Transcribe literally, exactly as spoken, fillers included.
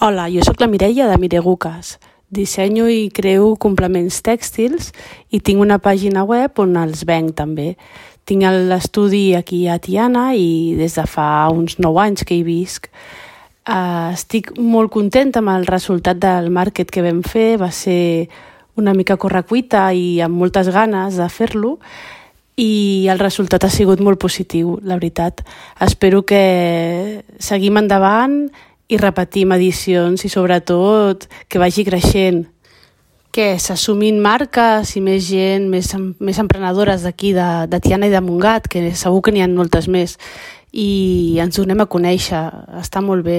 Hola, jo sóc la Mireia de Mireguques. Dissenyo i creo complements tèxtils i tinc una pàgina web on els venc també. Tinc l'estudi aquí a Tiana i des de fa uns nou anys que hi visc. Uh, estic molt contenta amb el resultat del màrquet que vam fer. Va ser una mica correcuita i amb moltes ganes de fer-lo i el resultat ha sigut molt positiu, la veritat. Espero que seguim endavant i repetim edicions i sobretot que vagi creixent, que s'assumin marques i més gent, més, més emprenedores d'aquí, de, de Tiana i de Montgat, que segur que n'hi ha moltes més, i ens donem a conèixer, està molt bé.